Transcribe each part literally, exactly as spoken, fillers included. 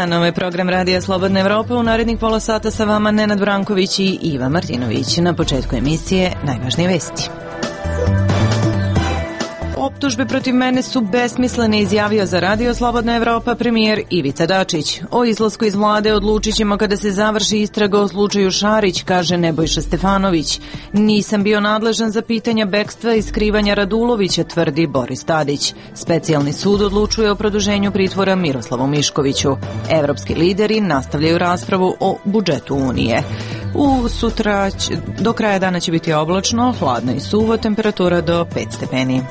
dan, ovo je program Radija Slobodna Evropa. U narednih pola sata sa vama Nenad Branković i Iva Martinović. Na početku emisije najvažnije vesti. Optužbe protiv mene su besmislene, izjavio za Radio Slobodna Evropa premijer Ivica Dačić. O izlasku iz vlade odlučit ćemo kada se završi istraga o slučaju Šarić, kaže Nebojša Stefanović. Nisam bio nadležan za pitanja bekstva i skrivanja Radulovića, tvrdi Boris Tadić. Specijalni sud odlučuje o produženju pritvora Miroslavu Miškoviću. Evropski lideri nastavljaju raspravu o budžetu Unije. U sutra do kraja dana će biti oblačno, hladno i suvo, temperatura do pet stepeni.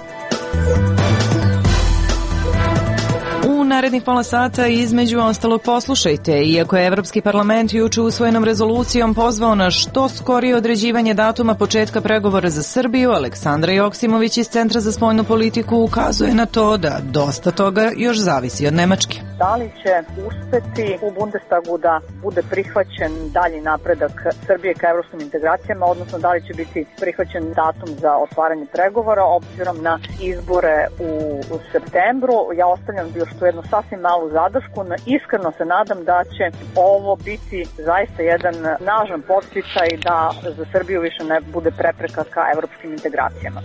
U narednih pola sata između ostalog poslušajte, iako je Evropski parlament juče usvojenom rezolucijom pozvao na što skorije određivanje datuma početka pregovora za Srbiju, Aleksandra Joksimović iz Centra za spoljnu politiku ukazuje na to da dosta toga još zavisi od Nemačke. Da li će uspeti u Bundestagu da bude prihvaćen dalji napredak Srbije ka evropskim integracijama, odnosno da li će biti prihvaćen datum za otvaranje pregovora obzirom na izbore u, u septembru. Ja ostavljam još tu jednu sasvim malu zadršku. Iskreno se nadam da će ovo biti zaista jedan snažan podsticaj da za Srbiju više ne bude prepreka ka evropskim integracijama.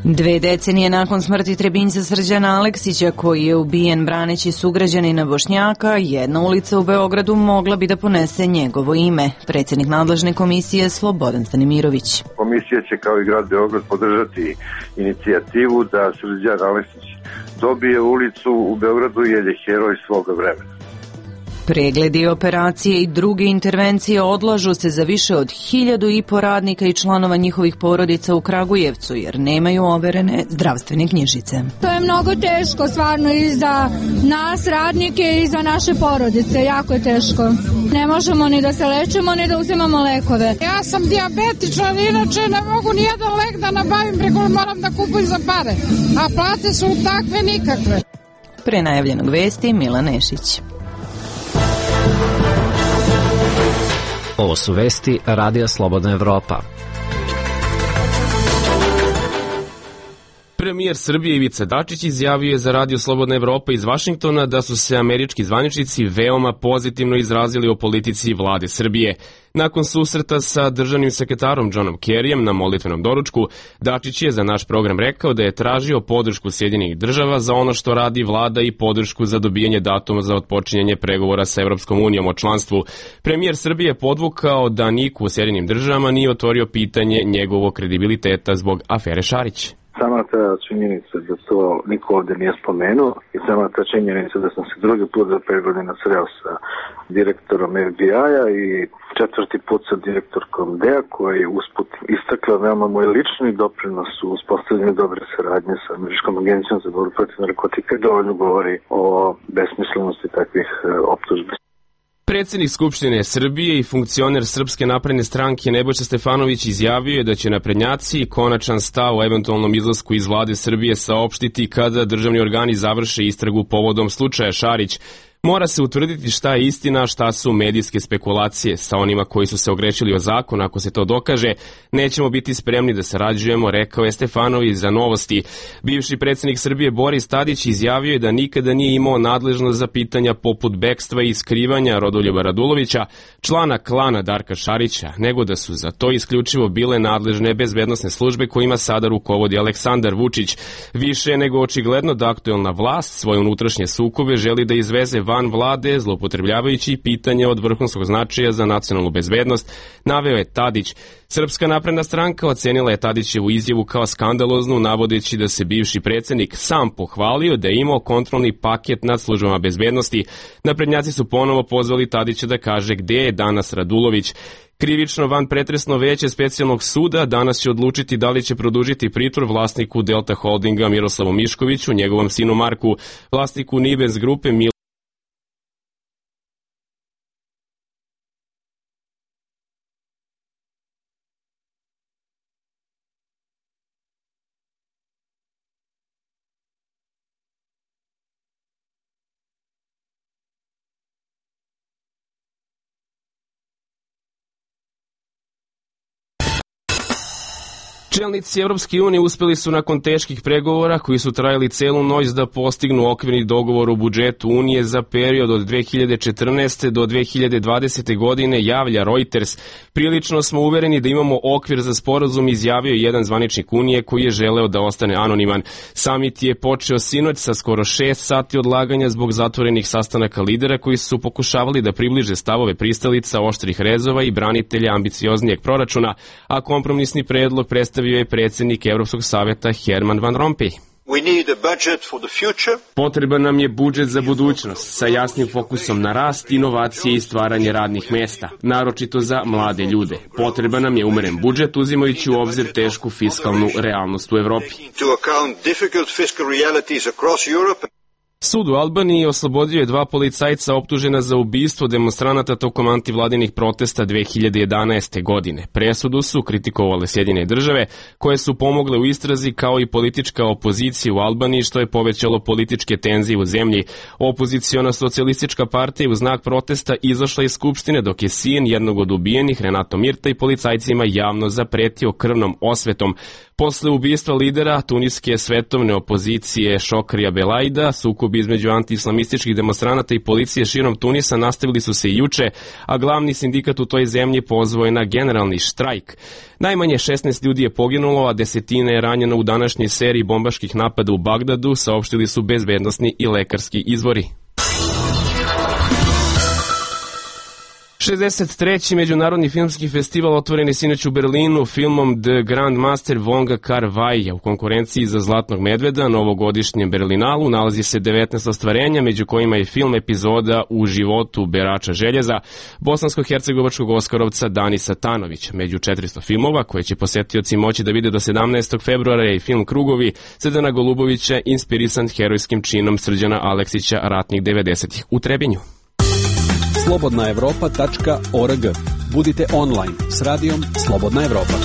Dve decenije nakon smrti Trebinjca Srđana Aleksića, koji je ubijen braneći sugrađanina Bošnjaka, jedna ulica u Beogradu mogla bi da ponese njegovo ime. Predsjednik nadležne komisije Slobodan Stanimirović. Komisija će kao i grad Beograd podržati inicijativu da Srđan Aleksić dobije ulicu u Beogradu jer je heroj svoga vremena. Pregledi, operacije i druge intervencije odlažu se za više od hiljadu i po radnika i članova njihovih porodica u Kragujevcu jer nemaju overene zdravstvene knjižice. To je mnogo teško, stvarno, i za nas radnike i za naše porodice. Jako je teško. Ne možemo ni da se lečimo, ni da uzimamo lekove. Ja sam dijabetičan, inače ne mogu ni jedan lek da nabavim, preko moram da kupujem za pare. A plate su takve nikakve. Pre najavljenog vesti Milan Nešić. Ovo su vesti Radija Slobodna Evropa. Premijer Srbije Ivica Dačić izjavio je za Radio Slobodna Evropa iz Vašingtona da su se američki zvaničnici veoma pozitivno izrazili o politici vlade Srbije. Nakon susreta sa državnim sekretarom Johnom Kerryjem na molitvenom doručku, Dačić je za naš program rekao da je tražio podršku Sjedinjenih država za ono što radi vlada i podršku za dobijanje datuma za otpočinjanje pregovora sa Evropskom unijom o članstvu. Premijer Srbije je podvukao da niko u Sjedinjenim državama nije otvorio pitanje njegovog kredibiliteta zbog afere Šarić. Sama ta činjenica da to niko ovdje nije spomenuo i sama ta činjenica da sam se drugi put za pet godina sreo sa direktorom F B I-a i četvrti put sa direktorkom D E A koja je usput istakla veoma moj lični doprinos u uspostavljanju dobre saradnje sa Američkom agencijom za borbu protiv narkotika dovoljno govori o besmislenosti takvih optužbi. Predsjednik Skupštine Srbije i funkcioner Srpske napredne stranke Nebojša Stefanović izjavio je da će naprednjaci konačan stav o eventualnom izlasku iz vlade Srbije saopštiti kada državni organi završe istragu povodom slučaja Šarić. Mora se utvrditi šta je istina, a šta su medijske spekulacije. Sa onima koji su se ogrešili o zakon, ako se to dokaže, nećemo biti spremni da sarađujemo, rekao je Stefanović za Novosti. Bivši predsjednik Srbije Boris Tadić izjavio je da nikada nije imao nadležnost za pitanja poput bekstva i skrivanja Rodoljuba Radulovića, člana klana Darka Šarića, nego da su za to isključivo bile nadležne bezbednosne službe kojima sada rukovodi Aleksandar Vučić. Više nego očigledno da aktuelna vlast svoje unutrašnje sukobe želi da izveze van vlade, zloupotrebljavajući pitanje od vrhunskog značaja za nacionalnu bezbednost, naveo je Tadić. Srpska napredna stranka ocenila je Tadićevu izjavu kao skandaloznu, navodeći da se bivši predsjednik sam pohvalio da je imao kontrolni paket nad službama bezbednosti. Naprednjaci su ponovo pozvali Tadića da kaže gde je danas Radulović. Krivično vanpretresno veće specijalnog suda danas će odlučiti da li će produžiti pritvor vlasniku Delta Holdinga Miroslavu Miškoviću, njegovom sinu Marku, vlasniku Nibens grupe Mil Čelnici Evropske unije uspeli su nakon teških pregovora koji su trajali celu noć da postignu okvirni dogovor o budžetu Unije za period od dve hiljade četrnaeste. do dve hiljade dvadesete. godine, javlja Reuters. Prilično smo uvereni da imamo okvir za sporazum, izjavio jedan zvaničnik Unije koji je želeo da ostane anoniman. Samit je počeo sinoć sa skoro šest sati odlaganja zbog zatvorenih sastanaka lidera koji su pokušavali da približe stavove pristalica, oštrih rezova i branitelja ambicioznijeg proračuna, a kompromisni predlog predstavio je predsjednik Evropskog saveta Herman Van Rompuy. Potreban nam je budžet za budućnost sa jasnim fokusom na rast, inovacije i stvaranje radnih mesta, naročito za mlade ljude. Potreban nam je umeren budžet uzimajući u obzir tešku fiskalnu realnost u Evropi. Sud u Albaniji oslobodio je dva policajca optužena za ubistvo demonstranata tokom antivladinih protesta dve hiljade jedanaeste. godine. Presudu su kritikovale Sjedinjene države, koje su pomogle u istrazi, kao i politička opozicija u Albaniji, što je povećalo političke tenzije u zemlji. Opoziciona socijalistička partija u znak protesta izašla iz skupštine, dok je sin jednog od ubijenih, Renato Mirta, i policajcima javno zapretio krvnom osvetom. Posle ubistva lidera tuniske svetovne opozicije Šokrija Belajda, sukob između anti-islamističkih demonstranata i policije širom Tunisa nastavili su se i juče, a glavni sindikat u toj zemlji pozvao je na generalni štrajk. Najmanje šesnaest ljudi je poginulo, a desetine je ranjeno u današnjoj seriji bombaških napada u Bagdadu, saopštili su bezbednosni i lekarski izvori. šezdeset treći. Međunarodni filmski festival otvoren je sinoć u Berlinu filmom The Grand Master Wonga Kar-wai. U konkurenciji za Zlatnog medveda na ovogodišnjem Berlinalu nalazi se devetnaest ostvarenja, među kojima je film epizoda U životu berača željeza bosansko-hercegovačkog oskarovca Danisa Tanovića. Među četiristo filmova koje će posetioci moći da vide do sedamnaestog februara je i film Krugovi Srdana Golubovića, inspirisan herojskim činom Srđana Aleksića ratnih devedesetih u Trebinju. slobodna evropa tačka org. Budite online s radijom Slobodna Evropa.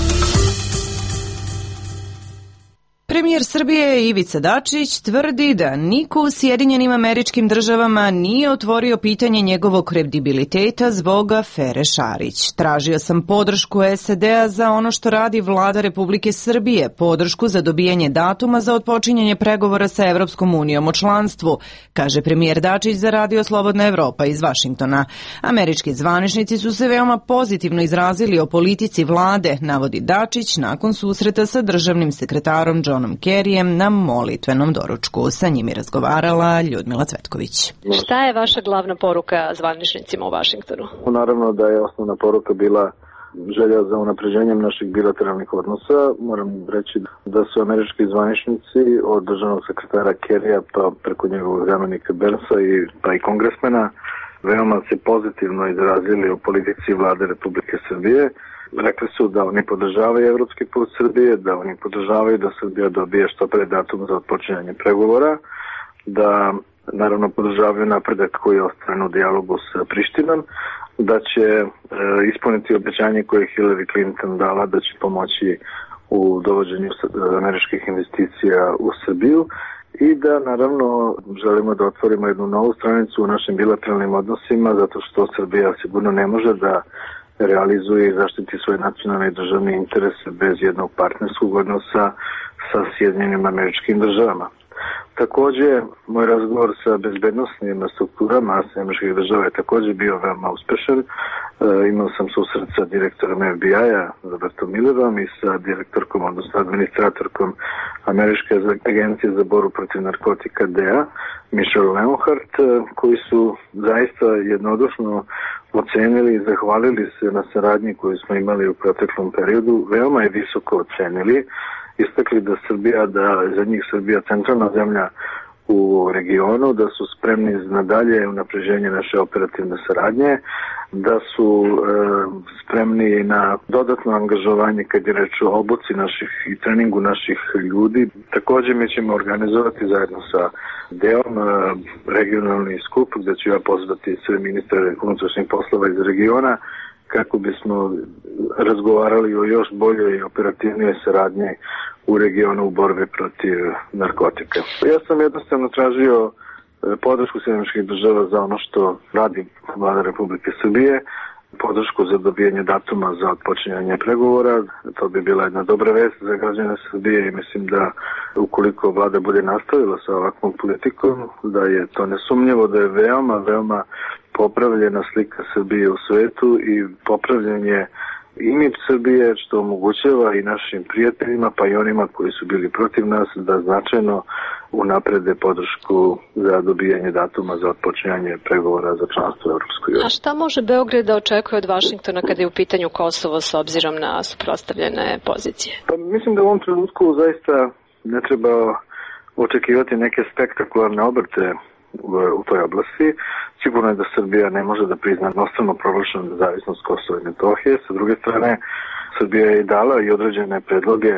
Premijer Srbije Ivica Dačić tvrdi da niko u Sjedinjenim Američkim Državama nije otvorio pitanje njegovog kredibiliteta zbog afere Šarić. Tražio sam podršku S A D-a za ono što radi vlada Republike Srbije, podršku za dobijanje datuma za otpočinjanje pregovora sa Evropskom unijom o članstvu, kaže premijer Dačić za radio Slobodna Evropa iz Vašingtona. Američki zvaničnici su se veoma pozitivno izrazili o politici vlade, navodi Dačić nakon susreta sa državnim sekretarom John Kerryjem na molitvenom doručku. Sa njim je razgovarala Ljudmila Cvetković. Šta je vaša glavna poruka zvaničnicima u Vašingtonu? Naravno da je osnovna poruka bila želja za unapređenjem naših bilateralnih odnosa. Moram reći da su američki zvaničnici od državnog sekretara Kerryja pa preko njegovog zamenika Bernsa i, pa i kongresmena veoma se pozitivno izrazili o politici vlade Republike Srbije. Rekli su da oni podržavaju evropski put Srbije, da oni podržavaju da Srbija dobije što pre datum za otpočinjanje pregovora, da naravno podržavaju napredak koji je ostvaren u dijalogu sa Prištinom, da će e, ispuniti obećanje koje je Hillary Clinton dala da će pomoći u dovođenju američkih investicija u Srbiju i da naravno želimo da otvorimo jednu novu stranicu u našim bilateralnim odnosima zato što Srbija sigurno ne može da realizuje i zaštiti svoje nacionalne i državne interese bez jednog partnerskog odnosa sa Sjedinjenim Američkim Državama. Takođe, moj razgovor sa bezbednosnim strukturama Američkih država je takođe bio veoma uspešan. E, imao sam susret sa direktorom F B I-a Robertom Millerom i sa direktorkom, odnosno administratorkom Američke agencije za borbu protiv narkotika D E A, Michelle Leonhardt, koji su zaista jednodušno ocenili i zahvalili se na saradnji koju smo imali u proteklom periodu. Veoma je visoko ocenili. Istakli da Srbija, da za njih Srbija centralna zemlja u regionu, da su spremni na dalje unapređenje naše operativne saradnje, da su e, spremni na dodatno angažovanje kad je reč o obuci naših i treningu naših ljudi. Takođe mi ćemo organizovati zajedno sa D E O-om e, regionalni skup gde ću ja pozvati sve ministre unutrašnjih poslova iz regiona kako bismo razgovarali o još boljoj i operativnijoj saradnji u regionu u borbi protiv narkotika. Ja sam jednostavno tražio podršku Sjedinjenih država za ono što radi vlada Republike Srbije. podršku za dobijanje datuma za otpočinjanje pregovora. To bi bila jedna dobra vest za građane Srbije i mislim da ukoliko vlada bude nastavila sa ovakvom politikom, da je to nesumnjivo da je veoma, veoma popravljena slika Srbije u svetu i popravljanje imidž Srbije, što omogućava i našim prijateljima, pa i onima koji su bili protiv nas, da značajno unaprede podršku za dobijanje datuma za otpočinjanje pregovora za članstvo u Europskoj uniji. A šta može Beograd da očekuje od Vašingtona kada je u pitanju Kosovo s obzirom na suprotstavljene pozicije? Pa mislim da u ovom trenutku zaista ne treba očekivati neke spektakularne obrte u toj oblasti. Sigurno je da Srbija ne može da prizna jednostrano proglašenu nezavisnost Kosova i Metohije. Sa druge strane, Srbija je i dala i određene predloge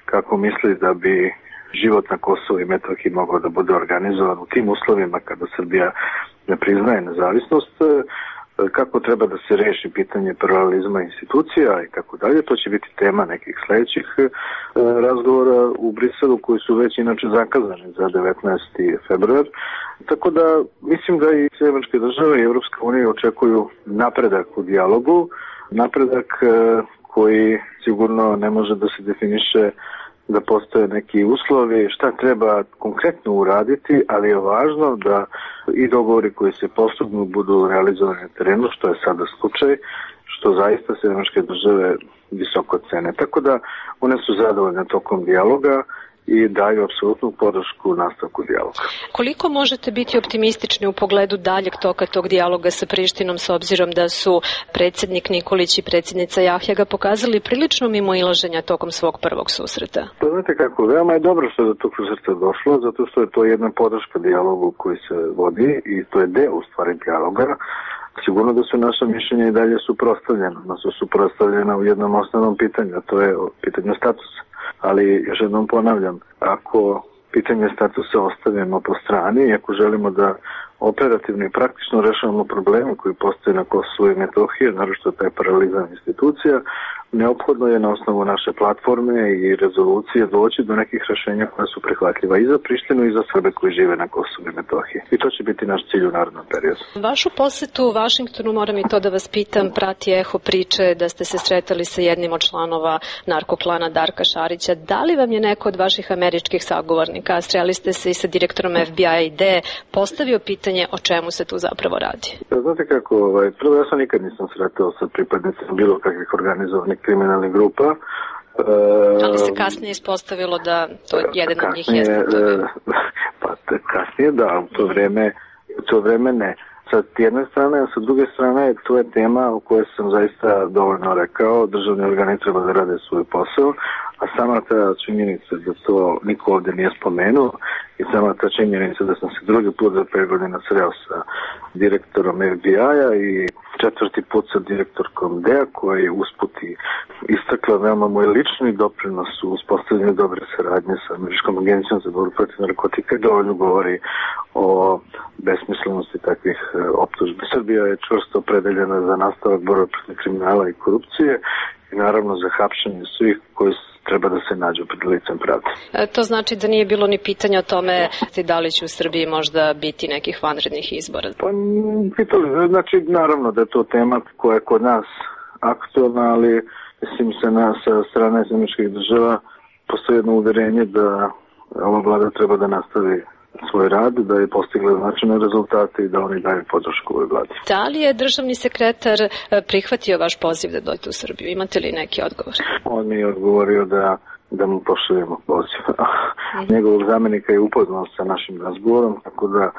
kako misli da bi život na Kosovu i Metohiji mogao da bude organizovan u tim uslovima kada Srbija ne priznaje nezavisnost, kako treba da se reši pitanje pluralizma institucija i tako dalje. To će biti tema nekih sledećih razgovora u Briselu koji su već inače zakazani za devetnaesti februar. Tako da mislim da i Sjedinjene države i Evropska unija očekuju napredak u dijalogu, napredak koji sigurno ne može da se definiše da postoje neki uslovi šta treba konkretno uraditi, ali je važno da i dogovori koji se postignu budu realizovani na terenu, što je sada slučaj, što zaista Sjedinjene države visoko cene. Tako da one su zadovoljne tokom dijaloga i daju apsolutnu podršku nastavku dijaloga. Koliko možete biti optimistični u pogledu daljeg toka tog dijaloga sa Prištinom s obzirom da su predsjednik Nikolić i predsjednica Jahjaga pokazali prilično mimoilaženja tokom svog prvog susreta? Pa znate kako, veoma je dobro što je do tog susreta došlo, zato što je to jedna podrška dijalogu koji se vodi i to je deo u stvari dijaloga. Sigurno da su naša mišljenja i dalje suprotstavljena, da su suprotstavljena u jednom osnovnom pitanju, a to je pitanje statusa. Ali još jednom ponavljam, ako pitanje statusa ostavimo po strani i ako želimo da operativno i praktično rešavamo probleme koji postoje na Kosovu i Metohiji, naročito taj paralizam institucija, neophodno je na osnovu naše platforme i rezolucije doći do nekih rešenja koja su prihvatljiva i za Prištinu i za Srbe koji žive na Kosovu i Metohiji. I to će biti naš cilj u narednom periodu. Vašu posetu u Vašingtonu, moram i to da vas pitam, prati eho priče da ste se sretali sa jednim od članova narkoklana Darka Šarića. Da li vam je neko od vaših američkih sagovornika, sreli ste se i sa direktorom F B I D, postavio pitanje o čemu se tu zapravo radi? Znate kako, ovaj, prvo ja sam nikad nisam sretao sa pripadnicima bilo kakvih organizovanih kriminalnih grupa. E, Ali se kasnije ispostavilo da to jedan od njih jeste. E, pa kasnije da, u to vreme, u to vreme ne. Sa jedne strane, a sa druge strane, to je tema o kojoj sam zaista dovoljno rekao. Državni organi treba da rade svoj posao, a sama ta činjenica da to niko ovde nije spomenuo i sama ta činjenica da sam se drugi put za pet godina sreo sa direktorom F B I-a i četvrti put sa direktorkom D E A koja je usputi istakla veoma moj lični doprinos u uspostavljanju dobre saradnje sa Američkom agencijom za borbu protiv narkotika, dovoljno govori o besmislenosti takvih optužbi. Srbija je čvrsto opredeljena za nastavak borbe protiv kriminala i korupcije i naravno za hapšenje svih koji treba da se nađu pred licem pravde. E, to znači da nije bilo ni pitanja o tome da li će u Srbiji možda biti nekih vanrednih izbora? Pa, pitali, znači, naravno da je to tema koja je kod nas aktualna, ali mislim se na, sa strane zemljičkih država postoji jedno uverenje da ova vlada treba da nastavi svoj rad, da je postigla značajne rezultate i da oni daju podršku ovoj vladi. Da li je državni sekretar prihvatio vaš poziv da dođete u Srbiju? Imate li neki odgovor? On mi je odgovorio da, da mu pošaljemo poziv. Mm. Njegovog zamenika je upoznao sa našim razgovorom, tako da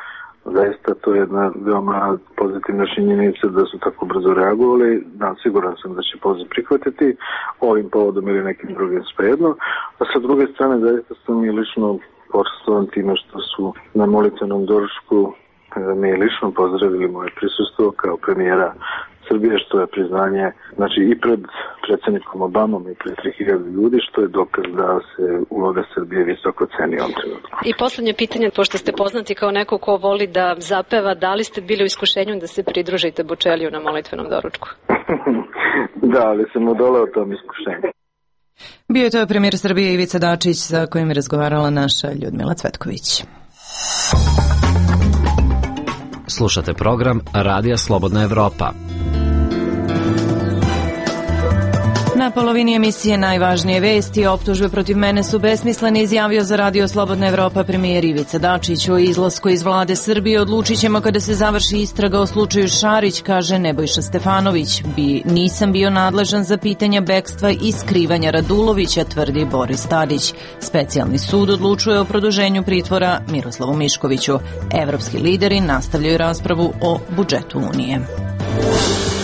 zaista to je jedna veoma pozitivna činjenica da su tako brzo reagovali. Da, siguran sam da će poziv prihvatiti ovim povodom ili nekim drugim svejedno. A sa druge strane, zaista sam i lično počastovan time što su na molitvenom doručku me lično pozdravili moje prisustvo kao premijera Srbije, što je priznanje, znači i pred predsjednikom Obamom i pred tri hiljade ljudi, što je dokaz da se uloga Srbije visoko ceni ovom trenutku. I poslednje pitanje, pošto ste poznati kao neko ko voli da zapeva, da li ste bili u iskušenju da se pridružite Bučeliju na molitvenom doručku? Da, ali sam odoleo tom iskušenju. Bio je to premijer Srbije Ivica Dačić sa kojim je razgovarala naša Ljudmila Cvetković. Slušate program Radija Slobodna Evropa. Na polovini emisije najvažnije vesti, optužbe protiv mene su besmislene, izjavio za Radio Slobodna Evropa premijer Ivica Dačić. O izlasku iz vlade Srbije odlučit ćemo kada se završi istraga o slučaju Šarić, kaže Nebojša Stefanović. Bi, nisam bio nadležan za pitanja bekstva i skrivanja Radulovića, tvrdi Boris Tadić. Specijalni sud odlučuje o produženju pritvora Miroslavu Miškoviću. Evropski lideri nastavljaju raspravu o budžetu Unije.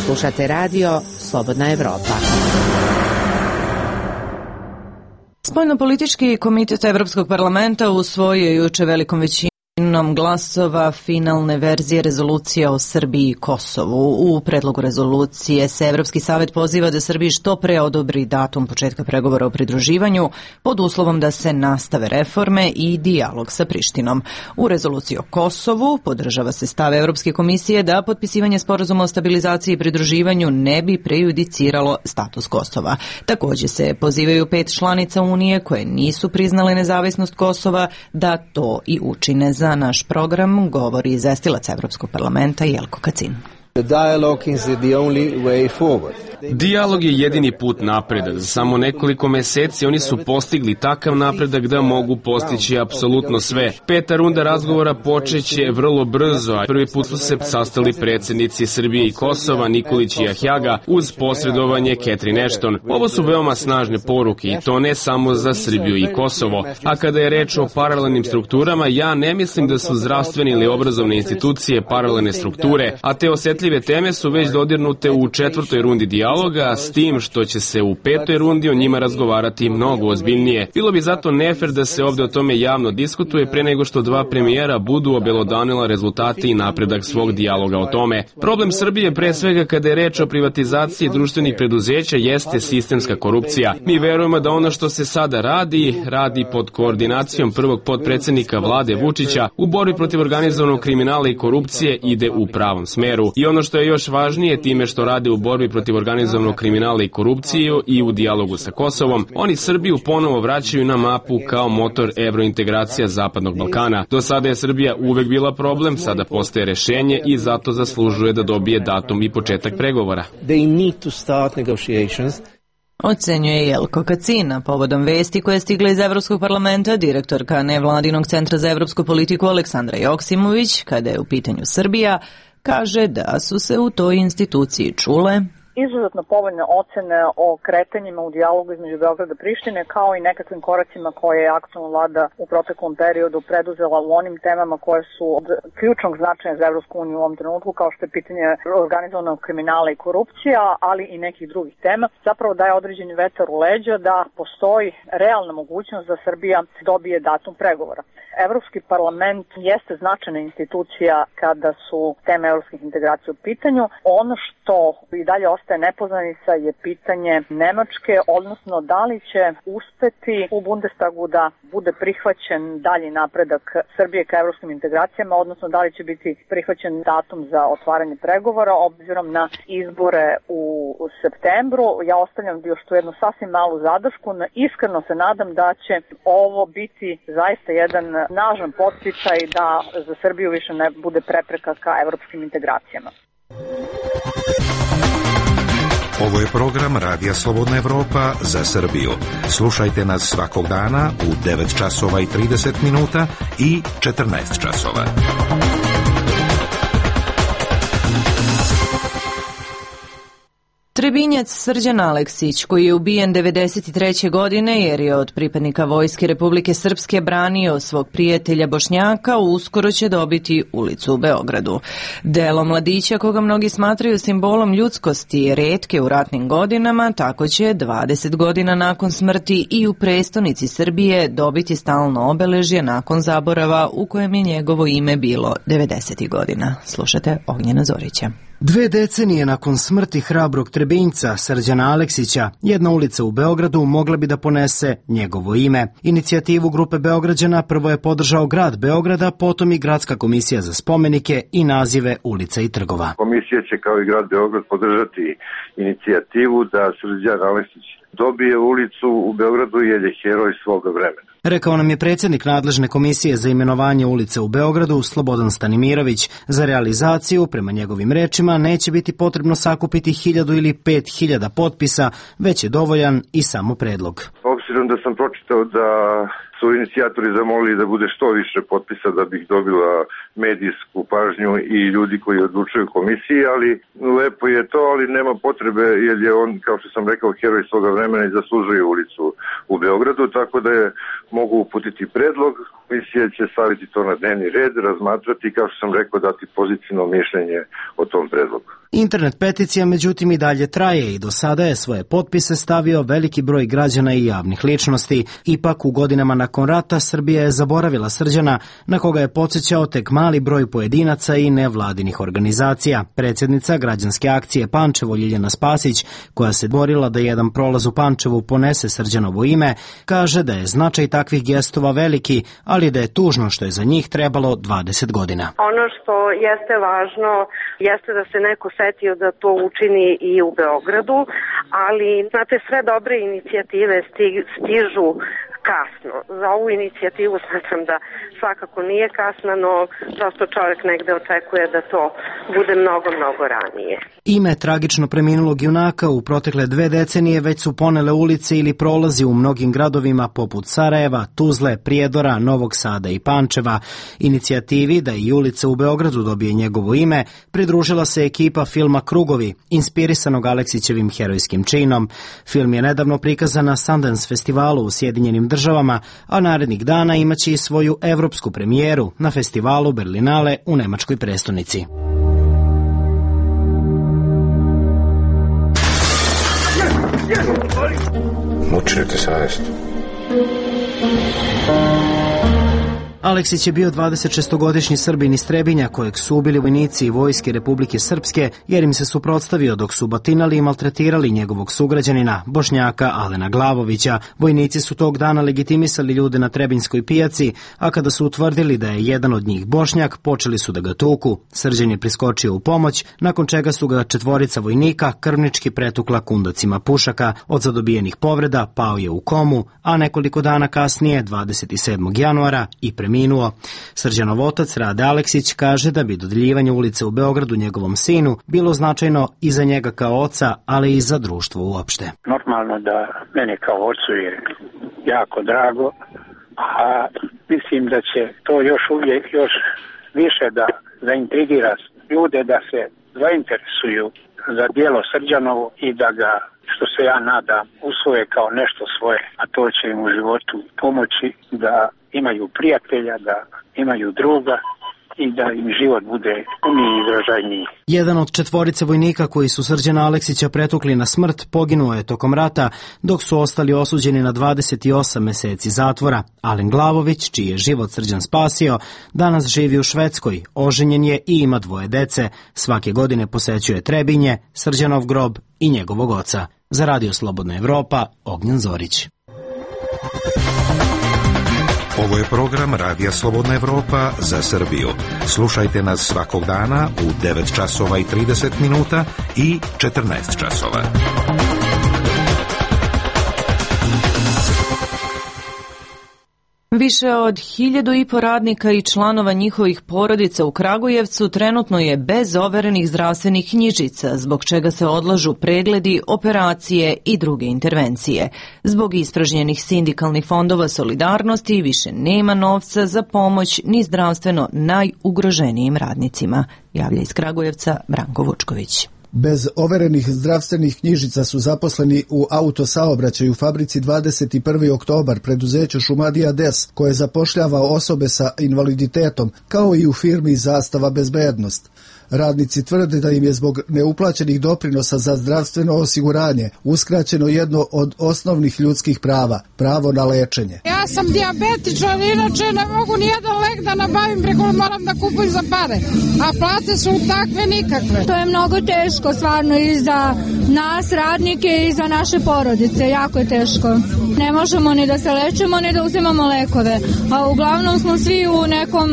Slušate Radio Slobodna Evropa. Spoljnopolitički komitet Evropskog parlamenta usvojio je juče velikom većinom glasova finalne verzije rezolucije o Srbiji i Kosovu. U predlogu rezolucije se Evropski savet poziva da Srbiji što pre odobri datum početka pregovora o pridruživanju pod uslovom da se nastave reforme i dijalog sa Prištinom. U rezoluciji o Kosovu podržava se stav Evropske komisije da potpisivanje sporazuma o stabilizaciji i pridruživanju ne bi prejudiciralo status Kosova. Također se pozivaju pet članica Unije koje nisu priznale nezavisnost Kosova da to i učine. Za naš program govori izvestilac Evropskog parlamenta Jelko Kacin. Dijalog je jedini put napredak. Za samo nekoliko meseci oni su postigli takav napredak da mogu postići apsolutno sve. Peta runda razgovora počeće vrlo brzo, a prvi put su se sastali predsjednici Srbije i Kosova, Nikolić i Ahjaga, uz posredovanje Catherine Ashton. Ovo su veoma snažne poruke i to ne samo za Srbiju i Kosovo. A kada je reč o paralelnim strukturama, ja ne mislim da su zdravstvene ili obrazovne institucije paralelne strukture, a te osjetljive teme su već dodirnute u četvrtoj rundi dijaloga, s tim što će se u petoj rundi o njima razgovarati mnogo ozbiljnije. Bilo bi zato nefer da se ovdje o tome javno diskutuje pre nego što dva premijera budu obelodanila rezultate i napredak svog dijaloga o tome. Problem Srbije, pre svega kada je reč o privatizaciji društvenih preduzeća, jeste sistemska korupcija. Mi verujemo da ono što se sada radi, radi pod koordinacijom prvog potpredsjednika vlade Vučića u borbi protiv organizovanog kriminala i korupcije ide u pravom smeru. I ono što je još važnije, time što rade u borbi protiv organizovanog kriminala i korupciju i u dijalogu sa Kosovom, oni Srbiju ponovo vraćaju na mapu kao motor evrointegracija Zapadnog Balkana. Do sada je Srbija uvek bila problem, sada postaje rešenje i zato zaslužuje da dobije datum i početak pregovora. Ocenjuje Jelko Kacina. Povodom vesti koje je stigla iz Evropskog parlamenta, direktorka nevladinog centra za evropsku politiku Aleksandra Joksimović, kada je u pitanju Srbija, kaže da su se u toj instituciji čule izuzetno povoljne ocene o kretanjima u dijalogu između Beograda i Prištine, kao i nekakvim koracima koje je aktualna vlada u proteklom periodu preduzela u onim temama koje su od ključnog značaja za Evropsku uniju u ovom trenutku, kao što je pitanje organizovanog kriminala i korupcija, ali i nekih drugih tema. Zapravo daje određeni vetar u leđa da postoji realna mogućnost da Srbija dobije datum pregovora. Evropski parlament jeste značajna institucija kada su teme evropskih integracija u pitanju. Ono što i dalje ostaje nepoznanica je pitanje Nemačke, odnosno da li će uspeti u Bundestagu da bude prihvaćen dalji napredak Srbije ka evropskim integracijama, odnosno da li će biti prihvaćen datum za otvaranje pregovora obzirom na izbore u septembru. Ja ostavljam još tu jednu sasvim malu zadršku. Iskreno se nadam da će ovo biti zaista jedan snažan podsticaj da za Srbiju više ne bude prepreka ka evropskim integracijama. Ovo je program Radija Slobodna Evropa za Srbiju. Slušajte nas svakog dana u devet časova i trideset minuta i četrnaest časova. Trebinjac Srđan Aleksić, koji je ubijen devedeset treće godine jer je od pripadnika Vojske Republike Srpske branio svog prijatelja Bošnjaka, uskoro će dobiti ulicu u Beogradu. Delo mladića, koga mnogi smatraju simbolom ljudskosti, retke u ratnim godinama, tako će dvadeset godina nakon smrti i u prestonici Srbije dobiti stalno obeležje nakon zaborava u kojem je njegovo ime bilo devedesetih godina. Slušate Ognjena Zorića. Dve decenije nakon smrti hrabrog Trebinjca Srđana Aleksića, jedna ulica u Beogradu mogla bi da ponese njegovo ime. Inicijativu grupe Beograđana prvo je podržao grad Beograda, potom i Gradska komisija za spomenike i nazive ulica i trgova. Komisija će kao i grad Beograd podržati inicijativu da Srđan Aleksić dobije ulicu u Beogradu jer je heroj svoga vremena. Rekao nam je predsjednik nadležne komisije za imenovanje ulice u Beogradu, Slobodan Stanimirović. Za realizaciju, prema njegovim rečima, neće biti potrebno sakupiti hiljadu ili pet hiljada potpisa, već je dovoljan i samo predlog. Obzirom da sam pročitao da su inicijatori zamolili da bude što više potpisa da bih dobila medijsku pažnju i ljudi koji odlučuju komisiji, ali lepo je to, ali nema potrebe jer je on, kao što sam rekao, heroj svoga vremena i zaslužuje ulicu u Beogradu, tako da je mogu uputiti predlog. Komisija će staviti to na dnevni red, razmatrati, kao što sam rekao, dati pozitivno mišljenje o tom predlogu. Internet peticija međutim i dalje traje i do sada je svoje potpise stavio veliki broj građana i javnih ličnosti. Ipak u godinama nakon rata Srbija je zaboravila Srđana, na koga je podsjećao tek mali broj pojedinaca i nevladinih organizacija. Predsjednica građanske akcije Pančevo Ljiljana Spasić, koja se borila da jedan prolaz u Pančevu ponese Srđanovo ime, kaže da je značaj takvih gestova veliki, ali da je tužno što je za njih trebalo dvadeset godina. Ono što jeste važno jeste da se neko setio da to učini i u Beogradu, ali znate, sve dobre inicijative stižu kasno. Za ovu inicijativu smatram da svakako nije kasna, no prosto čovjek negde očekuje da to bude mnogo, mnogo ranije. Ime tragično preminulog junaka u protekle dve decenije već su ponele ulice ili prolazi u mnogim gradovima poput Sarajeva, Tuzle, Prijedora, Novog Sada i Pančeva. Inicijativi da i ulica u Beogradu dobije njegovo ime pridružila se ekipa filma Krugovi, inspirisanog Aleksićevim herojskim činom. Film je nedavno prikazan na Sundance festivalu u Sjedinjenim državama, a narednih dana imaće i svoju evropsku premijeru na festivalu Berlinale u nemačkoj prestonici. Muči te savjest. Aleksić je bio dvadesetšestogodišnji Srbin iz Trebinja kojeg su ubili vojnici i vojske Republike Srpske jer im se suprotstavio dok su batinali i maltretirali njegovog sugrađanina, Bošnjaka Alena Glavovića. Vojnici su tog dana legitimisali ljude na Trebinjskoj pijaci, a kada su utvrdili da je jedan od njih Bošnjak, počeli su da ga tuku. Srđan je priskočio u pomoć, nakon čega su ga četvorica vojnika krvnički pretukla kundacima pušaka. Od zadobijenih povreda pao je u komu, a nekoliko dana kasnije, dvadeset sedmog januara, i preminuo. Srđanov otac Rade Aleksić kaže da bi dodeljivanje ulice u Beogradu njegovom sinu bilo značajno i za njega kao oca, ali i za društvo uopšte. Normalno da mene kao ocu je jako drago, a mislim da će to još uvijek još više da zaintrigira ljude da se zainteresuju za djelo Srđanovo i da ga, što se ja nadam, usvoje kao nešto svoje, a to će im u životu pomoći da imaju prijatelja, da imaju druga i da im život bude puniji i izražajniji. Jedan od četvorice vojnika koji su Srđana Aleksića pretukli na smrt poginuo je tokom rata, dok su ostali osuđeni na dvadeset osam meseci zatvora. Alen Glavović, čiji je život Srđan spasio, danas živi u Švedskoj, oženjen je i ima dvoje dece. Svake godine posećuje Trebinje, Srđanov grob i njegovog oca. Za Radio Slobodna Evropa, Ognjen Zorić. Ovo je program Radija Slobodna Evropa za Srbiju. Slušajte nas svakog dana u devet časova i trideset minuta i četrnaest časova. Više od hiljadu i po radnika i članova njihovih porodica u Kragujevcu trenutno je bez overenih zdravstvenih knjižica, zbog čega se odlažu pregledi, operacije i druge intervencije. Zbog ispražnjenih sindikalnih fondova solidarnosti više nema novca za pomoć ni zdravstveno najugroženijim radnicima. Javlja iz Kragujevca Branko Vučković. Bez overenih zdravstvenih knjižica su zaposleni u autosaobraćaju fabrici dvadeset prvi oktobar preduzeću Šumadija Des, koje zapošljava osobe sa invaliditetom, kao i u firmi Zastava bezbednost. Radnici tvrde da im je zbog neuplaćenih doprinosa za zdravstveno osiguranje uskraćeno jedno od osnovnih ljudskih prava, pravo na lečenje. Ja sam dijabetičar, inače ne mogu nijedan lek da nabavim, preko moram da kupujem za pare, a plate su takve nikakve. To je mnogo teško, stvarno, i za nas radnike i za naše porodice, jako je teško. Ne možemo ni da se lečemo, ni da uzimamo lekove, a uglavnom smo svi u nekom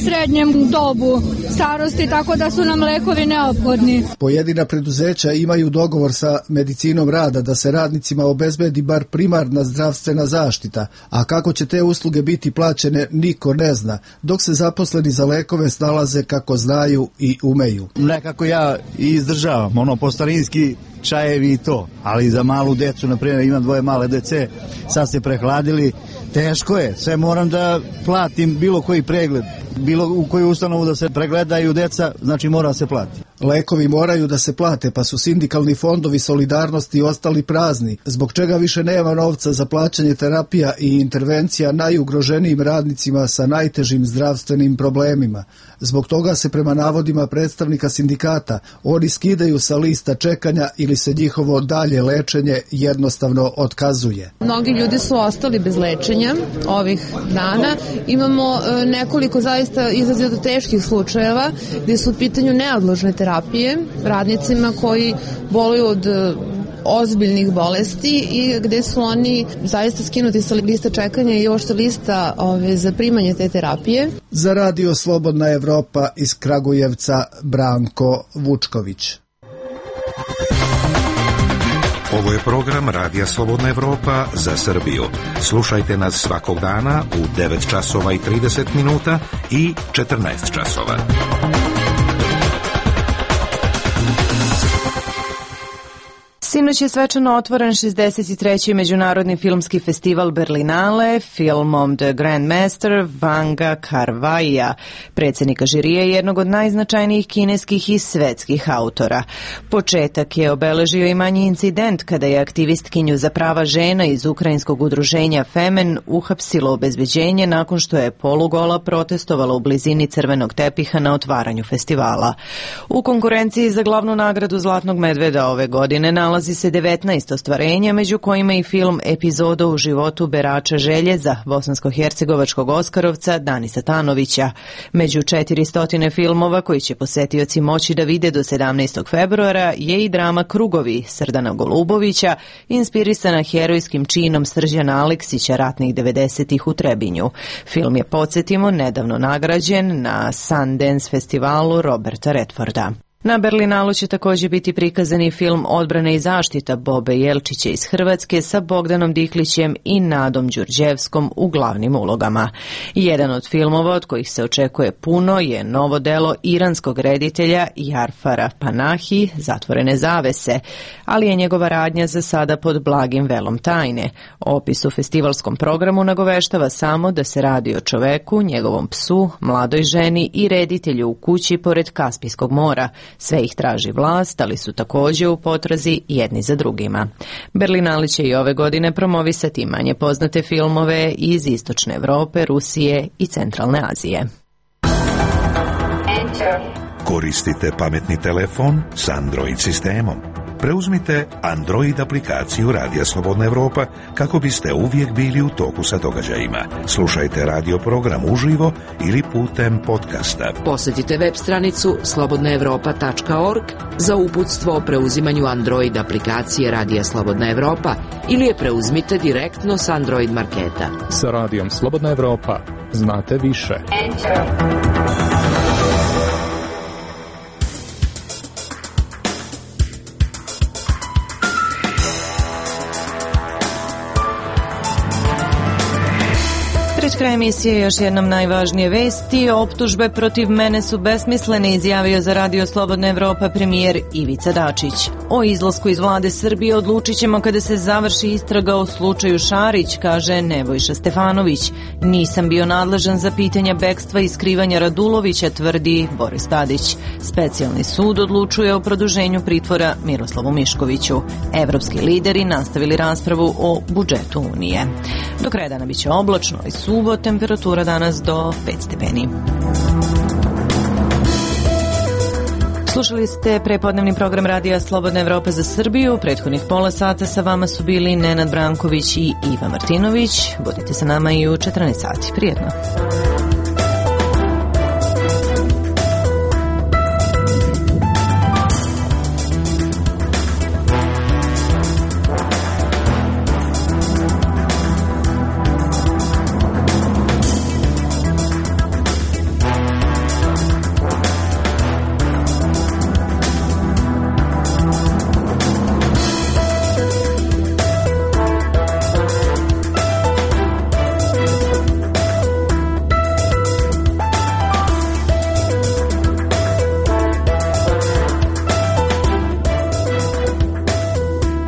srednjem dobu starosti, tako da su nam lekovi neophodni. Pojedina preduzeća imaju dogovor sa medicinom rada da se radnicima obezbedi bar primarna zdravstvena zaštita, a kako će te usluge biti plaćene niko ne zna, dok se zaposleni za lekove snalaze kako znaju i umeju. Nekako ja izdržavam, ono po starinski čajevi i to, ali za malu decu, na primjer imam dvoje male dece, sad se prehladili, teško je, sve moram da platim bilo koji pregled, bilo u koju ustanovu da se pregledaju deca, znači mora se platiti. Lekovi moraju da se plate, pa su sindikalni fondovi solidarnosti ostali prazni, zbog čega više nema novca za plaćanje terapija i intervencija najugroženijim radnicima sa najtežim zdravstvenim problemima. Zbog toga se prema navodima predstavnika sindikata oni skidaju sa lista čekanja ili se njihovo dalje lečenje jednostavno otkazuje. Mnogi ljudi su ostali bez lečenja ovih dana. Imamo nekoliko zaista izrazito teških slučajeva gdje su u pitanju neodložne terapije radnicima koji boluju od ozbiljnih bolesti i gde su oni zaista skinuti sa lista čekanja i uopšte lista ove, za primanje te terapije. Za Radio Slobodna Evropa iz Kragujevca Branko Vučković. Ovo je program Radija Slobodna Evropa za Srbiju. Slušajte nas svakog dana u devet časova i trideset minuta i četrnaest časova. Sinoć je svečano otvoren šezdeset treći Međunarodni filmski festival Berlinale filmom The Grandmaster Vanga Kar-waia, predsjednika žirije i jednog od najznačajnijih kineskih i svetskih autora. Početak je obeležio i manji incident kada je aktivistkinju za prava žena iz ukrajinskog udruženja Femen uhapsilo obezbeđenje nakon što je polugola protestovala u blizini crvenog tepiha na otvaranju festivala. U konkurenciji za glavnu nagradu Zlatnog medveda ove godine nalazi se devetnaest ostvarenja, među kojima i film Epizoda u životu berača željeza bosansko-hercegovačkog oskarovca Danisa Tanovića. Među četiristo filmova koji će posetioci moći da vide do sedamnaestog februara je i drama Krugovi Srdana Golubovića, inspirisana herojskim činom Srđana Aleksića ratnih devedesetih u Trebinju. Film je, podsjetimo, nedavno nagrađen na Sundance festivalu Roberta Redforda. Na Berlinalu će također biti prikazani film Odbrana i zaštita Bobe Jelčića iz Hrvatske sa Bogdanom Diklićem i Nadom Đurđevskom u glavnim ulogama. Jedan od filmova od kojih se očekuje puno je novo delo iranskog reditelja Jarfara Panahi, Zatvorene zavese, ali je njegova radnja za sada pod blagim velom tajne. Opis u festivalskom programu nagoveštava samo da se radi o čoveku, njegovom psu, mladoj ženi i reditelju u kući pored Kaspijskog mora. Sve ih traži vlast, ali su također u potrazi jedni za drugima. Berlinali će i ove godine promovisati manje poznate filmove iz Istočne Evrope, Rusije i Centralne Azije. Koristite pametni telefon s Android sistemom. Preuzmite Android aplikaciju Radija Slobodna Evropa kako biste uvijek bili u toku sa događajima. Slušajte radio program uživo ili putem podcasta. Posjetite web stranicu slobodna evropa tačka org za uputstvo o preuzimanju Android aplikacije Radija Slobodna Evropa ili je preuzmite direktno s Android marketa. Sa Radijom Slobodna Evropa znate više. Enter. Pred kraj emisije još jednom najvažnije vesti. Optužbe protiv mene su besmislene, izjavio za Radio Slobodna Evropa premijer Ivica Dačić. O izlasku iz vlade Srbije odlučit ćemo kada se završi istraga o slučaju Šarić, kaže Nebojša Stefanović. Nisam bio nadležan za pitanja bekstva i skrivanja Radulovića, tvrdi Boris Tadić. Specijalni sud odlučuje o produženju pritvora Miroslavu Miškoviću. Evropski lideri nastavili raspravu o budžetu Unije. Do kraja dana biće oblačno i suvo, temperatura danas do pet stepeni. Slušali ste prepodnevni program Radija Slobodna Evropa za Srbiju. Prethodnih pola sata sa vama su bili Nenad Branković i Iva Martinović. Budite sa nama i u četrnaest sati. Prijetno.